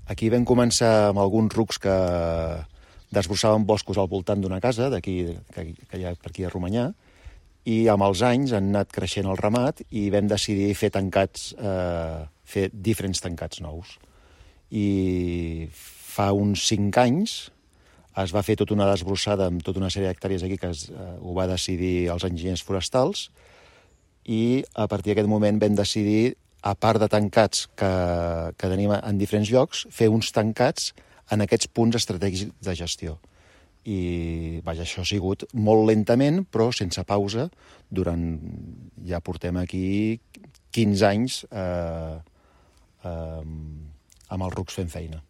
Aquí vam començar amb alguns rucs que desbrossaven boscos al voltant d'una casa, d'aquí, que hi ha per aquí a Romanyà, i amb els anys han anat creixent el ramat i vam decidir fer tancats, fer diferents tancats nous. I fa uns 5 anys es va fer tota una desbrossada amb tota una sèrie d'hectàrees aquí que ho va decidir els enginyers forestals, i a partir d'aquest moment vam decidir, a part de tancats que tenim en diferents llocs, fer uns tancats en aquests punts estratègics de gestió. I això ha sigut molt lentament, però sense pausa, ja portem aquí 15 anys amb els rucs fent feina.